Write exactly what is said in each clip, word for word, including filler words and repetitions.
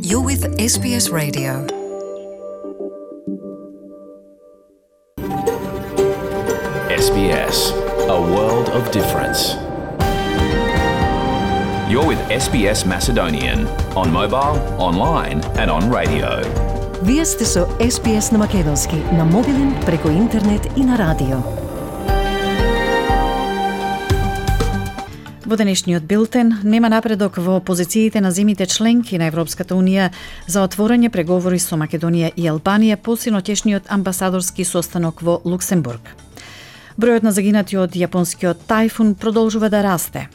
You're with S B S Radio. S B S, a world of difference. You're with S B S Macedonian on mobile, online and on radio. Вие сте со С Б С на македонски, на мобилен, преку интернет и на радио. Во денешниот билтен нема напредок во позициите на земјите членки на Европската Унија за отворање преговори со Македонија и Албанија по синоќешниот амбасадорски состанок во Луксембург. Бројот на загинати од јапонскиот тајфун продолжува да расте.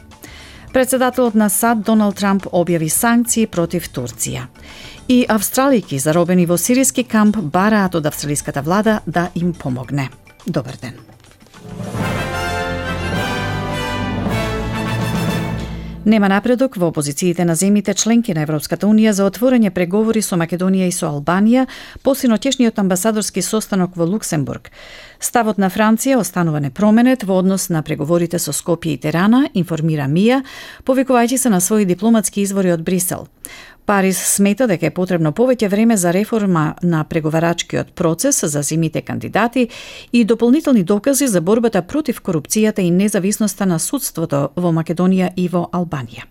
Председателот на САД Доналд Трамп објави санкции против Турција. И австралијки заробени во сириски камп бараат од австралиската влада да им помогне. Добар ден. Нема напредок во опозициите на земјите членки на Европската Унија за отворање преговори со Македонија и со Албанија по синоќешниот амбасадорски состанок во Луксембург. Ставот на Франција останува непроменет во однос на преговорите со Скопје и Тирана, информира МИА, повикувајќи се на своји дипломатски извори од Брисел. Париз смета дека е потребно повеќе време за реформа на преговарачкиот процес за земјите кандидати и дополнителни докази за борбата против корупцијата и независноста на судството во Македонија и во Албанија.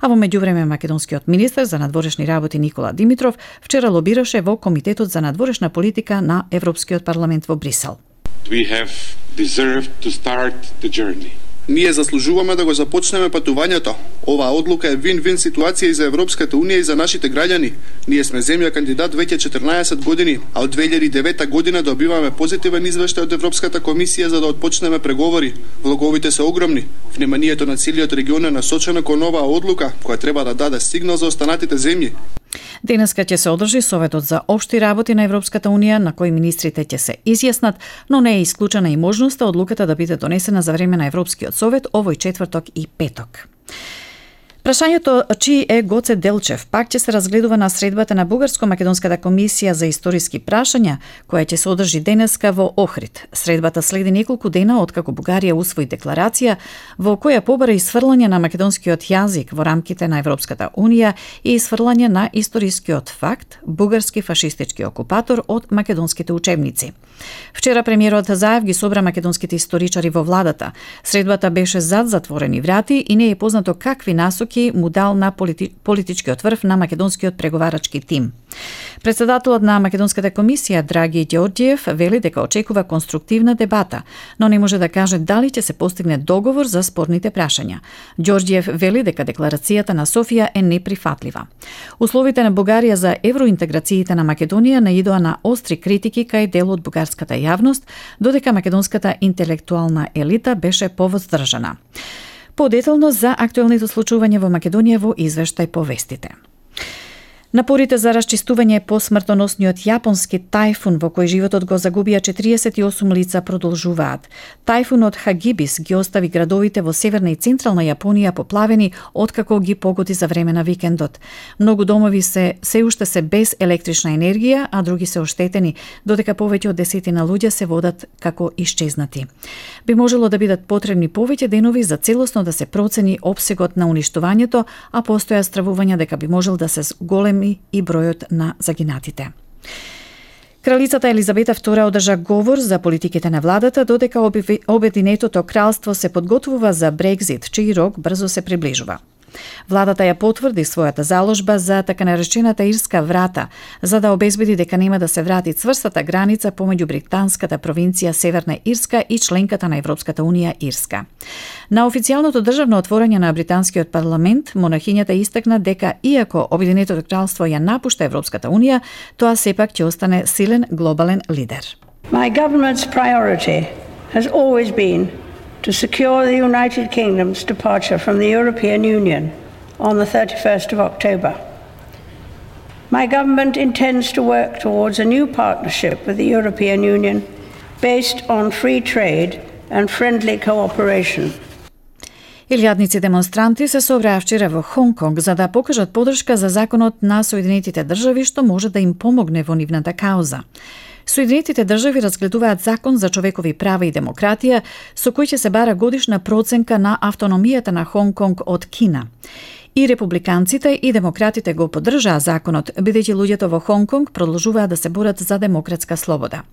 А во меѓувреме македонскиот министер за надворешни работи Никола Димитров вчера лобираше во Комитетот за надворешна политика на Европскиот парламент во Брисел. We have deserved to start the journey. Ние заслужуваме да го започнеме патувањето. Оваа одлука е вин-вин ситуација и за Европската Унија и за нашите граѓани. Ние сме земја кандидат веќе четрнаесет години, а од две илјади и девета година добиваме позитивен извештај од Европската комисија за да отпочнеме преговори. Влоговите се огромни. Вниманието на целиот регион е насочено кон оваа одлука, која треба да даде сигнал за останатите земји. Денеска ќе се одржи Советот за општи работи на Европската Унија, на кој министрите ќе се изјаснат, но не е исклучена и можноста одлуката да биде донесена за време на Европскиот совет овој четврток и петок. Прашањето чии е Гоце Делчев пак ќе се разгледува на средбата на Бугарско-македонската комисија за историски прашања, која ќе се одржи денеска во Охрид. Средбата следи неколку дена откако Бугарија усвои декларација во која побара исфрлање на македонскиот јазик во рамките на Европската Унија и исфрлање на историскиот факт бугарски фашистички окупатор од македонските учебници. Вчера премиерот Заев ги собра македонските историчари во владата. Средбата беше зад затворени врати и не е познато какви насоки му дал на полити... политичкиот врв на македонскиот преговарачки тим. Председателот на Македонската комисија Драги Ѓорѓиев вели дека очекува конструктивна дебата, но не може да каже дали ќе се постигне договор за спорните прашања. Ѓорѓиев вели дека декларацијата на Софија е неприфатлива. Условите на Бугарија за евроинтеграциите на Македонија наидоа на остри критики кај дел од бугарската јавност, додека македонската интелектуална елита беше повоздржана. Подетално за актуелните случувања во Македонија во извештај по вестите. Напорите за расчистување по смртоносниот јапонски тајфун во кој животот го загубија четириесет и осум лица продолжуваат. Тајфунот Хагибис ги остави градовите во северна и централна Јапонија поплавени откако ги погоди за време на викендот. Многу домови се се уште се без електрична енергија, а други се оштетени, додека повеќе од десетина луѓе се водат како исчезнати. Би можело да бидат потребни повеќе денови за целосно да се процени опсегот на уништувањето, а постоја стравувања дека би можел да се големи и бројот на загинатите. Кралицата Елизабета втора одржа говор за политиките на владата, додека Обединетото кралство се подготвува за Брекзит, чиј рок брзо се приближува. Владата ја потврди својата заложба за така наречената ирска врата, за да обезбеди дека нема да се врати цврстата граница помеѓу британската провинција Северна Ирска и членката на Европската Унија Ирска. На официјалното државно отворање на британскиот парламент, монархињата истакна дека иако Обединетото кралство ја напушта Европската Унија, тоа сепак ќе остане силен глобален лидер. My government's priority has always been to secure the United Kingdom's departure from the European Union on the thirty-first of October. My government intends to work towards a new partnership with the European Union based on free trade and friendly cooperation. Илјадници демонстранти се собраа вчера во Хонг Конг за да покажат поддршка за законот на Соединетите држави што може да им помогне во нивната кауза. Соединетите држави разгледуваат закон за човекови права и демократија, со кој ќе се бара годишна проценка на автономијата на Хонг Конг од Кина. И републиканците и демократите го поддржаа законот, бидејќи луѓето во Хонг Конг продолжуваат да се борат за демократска слобода.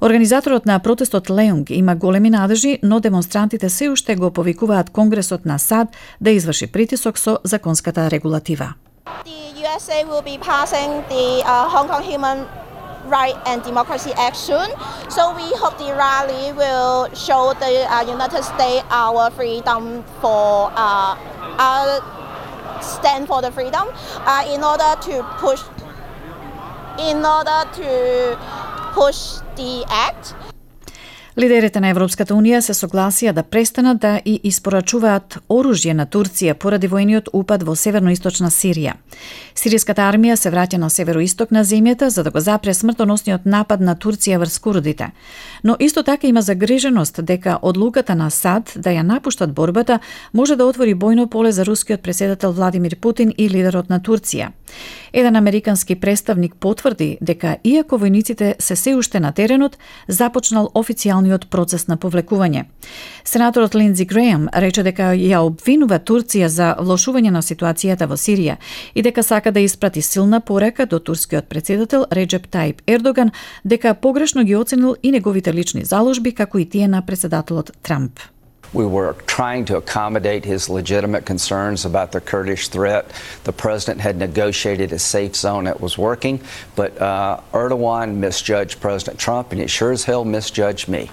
Организаторот на протестот Леунг има големи надежи, но демонстрантите се уште го повикуваат Конгресот на САД да изврши притисок со законската регулатива. The U S A will be passing the uh, Hong Kong Human Right and Democracy Act soon, so we hope the rally will show the uh, United States our freedom for uh, our stand for the freedom uh, in order to push in order to push the act. Лидерите на Европската унија се согласија да престанат да и испорачуваат оружје на Турција поради воениот упад во северноисточна Сирија. Сиријската армија се враќа на североисток на земјата за да го запре смртоносниот напад на Турција врз курдите. Но исто така има загриженост дека одлуката на САД да ја напуштат борбата може да отвори бојно поле за рускиот претседател Владимир Путин и лидерот на Турција. Еден американски представник потврди дека иако војниците се се уште на теренот, започнал официјалниот процес на повлекување. Сенаторот Линдзи Грејам рече дека ја обвинува Турција за влошување на ситуацијата во Сирија и дека сака да испрати силна порака до турскиот претседател Реджеп Таип Ердоган дека погрешно ги оценил и неговите лични заложби како и тие на претседателот Трамп. We were trying to accommodate his legitimate concerns about the Kurdish threat. The president had negotiated a safe zone that was working, but uh, Erdogan misjudged President Trump, and he sure as hell misjudged me.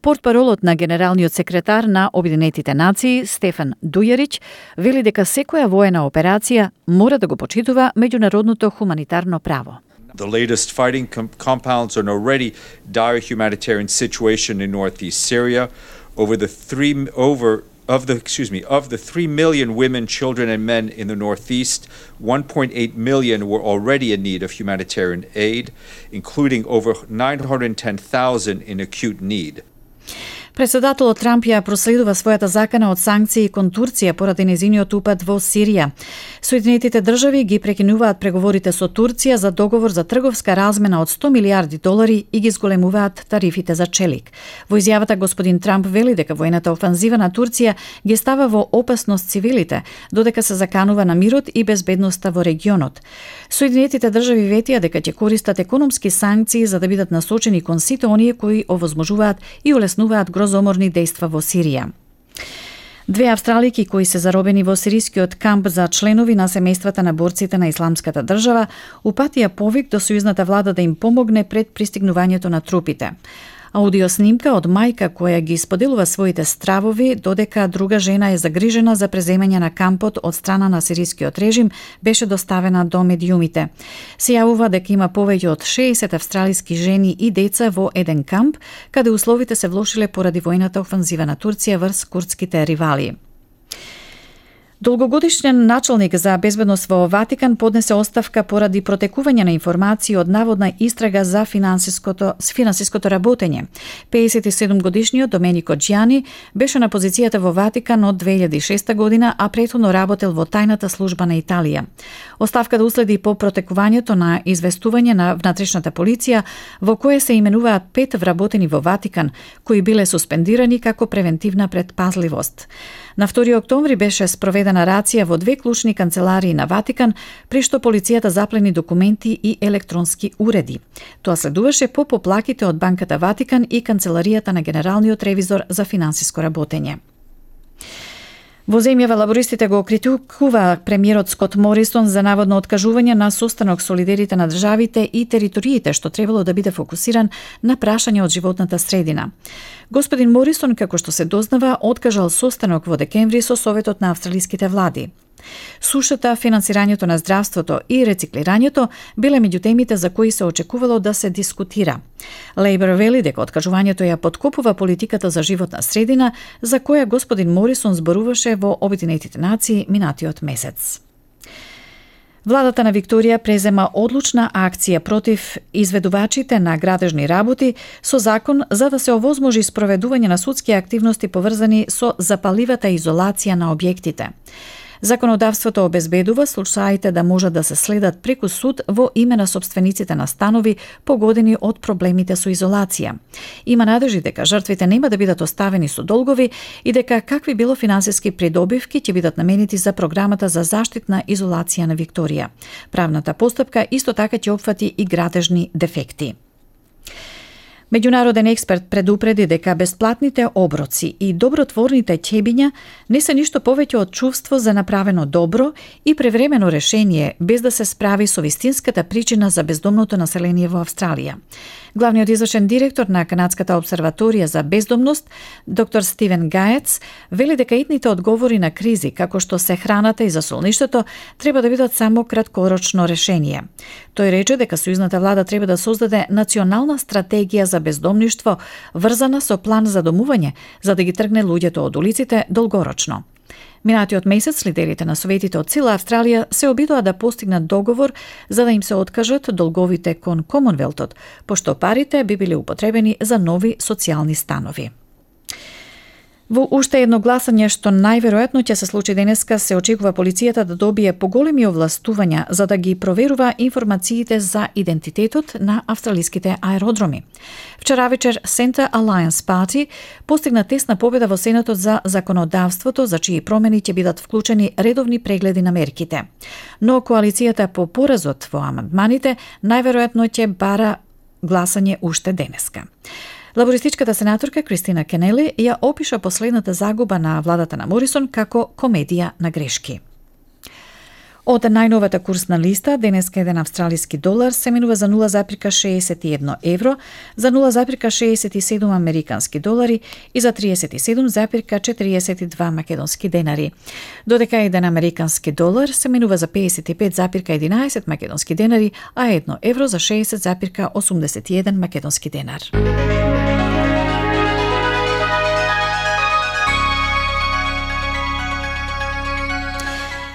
Портпаролот на генералниот секретар на Обединетите нации Стефан Дујарич вели дека секоја воена операција мора да го почитува меѓународното хуманитарно право. The latest fighting com- compounds an already dire humanitarian situation in northeast Syria. Over the three over of the excuse me of the three million women, children, and men in the northeast, one point eight million were already in need of humanitarian aid, including over nine hundred ten thousand in acute need. Претседателот Трамп ја проследува својата закана од санкции кон Турција поради незиниот упад во Сирија. Соединетите држави ги прекинуваат преговорите со Турција за договор за трговска размена од сто милиарди долари и ги зголемуваат тарифите за челик. Во изјавата господин Трамп вели дека воената офанзива на Турција ги става во опасност цивилите, додека се заканува на мирот и безбедноста во регионот. Соединетите држави ветија дека ќе користат економски санкции за да бидат насочени кон сите оние кои овозможуваат и улеснуваат грозоморни дејства во Сирија. Две австралики кои се заробени во сирискиот камп за членови на семејствата на борците на Исламската држава упатија повик до сојузната влада да им помогне пред пристигнувањето на трупите. Аудиоснимка од мајка која ги споделува своите стравови додека друга жена е загрижена за преземање на кампот од страна на сирискиот режим беше доставена до медиумите. Се јавува дека има повеќе од шеесет австралиски жени и деца во еден камп, каде условите се влошиле поради војната офанзива на Турција врз курдските ривали. Долгогодишен началник за безбедност во Ватикан поднесе оставка поради протекување на информации од наводна истрага за финансиското, финансиското работење. пеесет и седум годишниот Доменико Џјани беше на позицијата во Ватикан од две илјади и шеста година, а претходно работел во тајната служба на Италија. Оставката уследи по протекувањето на известување на внатрешната полиција во кое се именуваат пет вработени во Ватикан, кои биле суспендирани како превентивна предпазливост. На втори октомври беше спроведена рација во две клучни канцеларии на Ватикан, при што полицијата заплени документи и електронски уреди. Тоа следуваше по поплаките од Банката Ватикан и канцеларијата на Генералниот ревизор за финансиско работење. Во земјава лабористите го критикува премиерот Скот Морисон за наводно откажување на состанок со лидерите на државите и териториите што требало да биде фокусиран на прашања од животната средина. Господин Морисон, како што се дознава, откажал состанок во декември со Советот на австралиските влади. Сушата, финансирањето на здравството и рециклирањето биле меѓу темите за кои се очекувало да се дискутира. Лейбор вели дека откажувањето ја подкопува политиката за животна средина, за која господин Морисон зборуваше во Обединетите нации минатиот месец. Владата на Викторија презема одлучна акција против изведувачите на градежни работи со закон за да се овозможи спроведување на судски активности поврзани со запаливата изолација на објектите. Законодавството обезбедува случаите да можат да се следат преку суд во име на сопствениците на станови погодени од проблемите со изолација. Има надежи дека жртвите нема да бидат оставени со долгови и дека какви било финансиски придобивки ќе бидат наменети за програмата за заштитна изолација на Викторија. Правната постапка исто така ќе опфати и градежни дефекти. Меѓународен експерт предупреди дека бесплатните оброци и добротворните ќебиња не се ништо повеќе од чувство за направено добро и превремено решение без да се справи со вистинската причина за бездомното население во Австралија. Главниот извршен директор на Канадската обсерваторија за бездомност, доктор Стивен Гаец, вели дека итните одговори на кризи, како што се храната и засолништето, треба да бидат само краткорочно решение. Тој рече дека сојузната влада треба да создаде национална стратегија за бездомништво, врзана со план за домување, за да ги тргне луѓето од улиците долгорочно. Минатиот месец лидерите на советите од цела Австралија се обидоа да постигнат договор за да им се откажат долговите кон Комонвелтот, пошто парите би били употребени за нови социјални станови. Во уште едно гласање што најверојатно ќе се случи денеска, се очекува полицијата да добие поголеми овластувања за да ги проверува информациите за идентитетот на австралиските аеродроми. Вчера вечер Center Alliance Party постигна тесна победа во Сенатот за законодавството, за чии промени ќе бидат вклучени редовни прегледи на мерките. Но коалицијата по поразот во амандманите најверојатно ќе бара гласање уште денеска. Лабористичката сенаторка Кристина Кенели ја опиша последната загуба на владата на Морисон како комедија на грешки. Од најновата курсна листа, денеска еден австралиски долар се менува за нула зарез шеесет и едно евро, за нула зарез шеесет и седум американски долари и за триесет и седум зарез четириесет и два македонски денари. Додека еден американски долар се менува за педесет и пет зарез единаесет македонски денари, а едно евро за шеесет зарез осумдесет и еден македонски денар.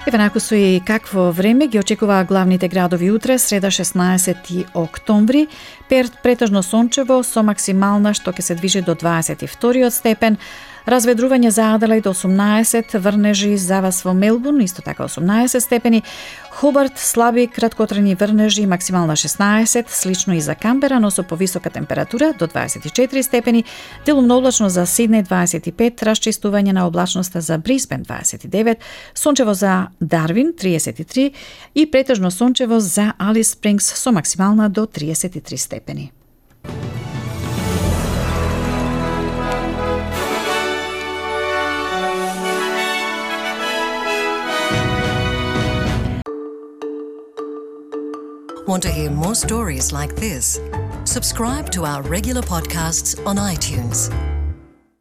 Еве наку со и какво време ги очекува главните градови утре, среда шеснаесети октомври. Перт претежно сончево со максимална што ќе се движи до дваесет и втори степен. Разведрување за Аделаид осумнаесет, врнежи за вас во Мелбурн, исто така осумнаесет степени. Хобарт слаби краткотрени врнежи, максимална шеснаесет, слично и за Камбера, но со повисока температура до дваесет и четири степени. Делумно облачно за Сиднеј дваесет и пет, расчистување на облачноста за Брисбен дваесет и девет, сончево за Дарвин триесет и три и претежно сончево за Алис Спрингс со максимална до триесет и три степени. Want to hear more stories like this? Subscribe to our regular podcasts on iTunes.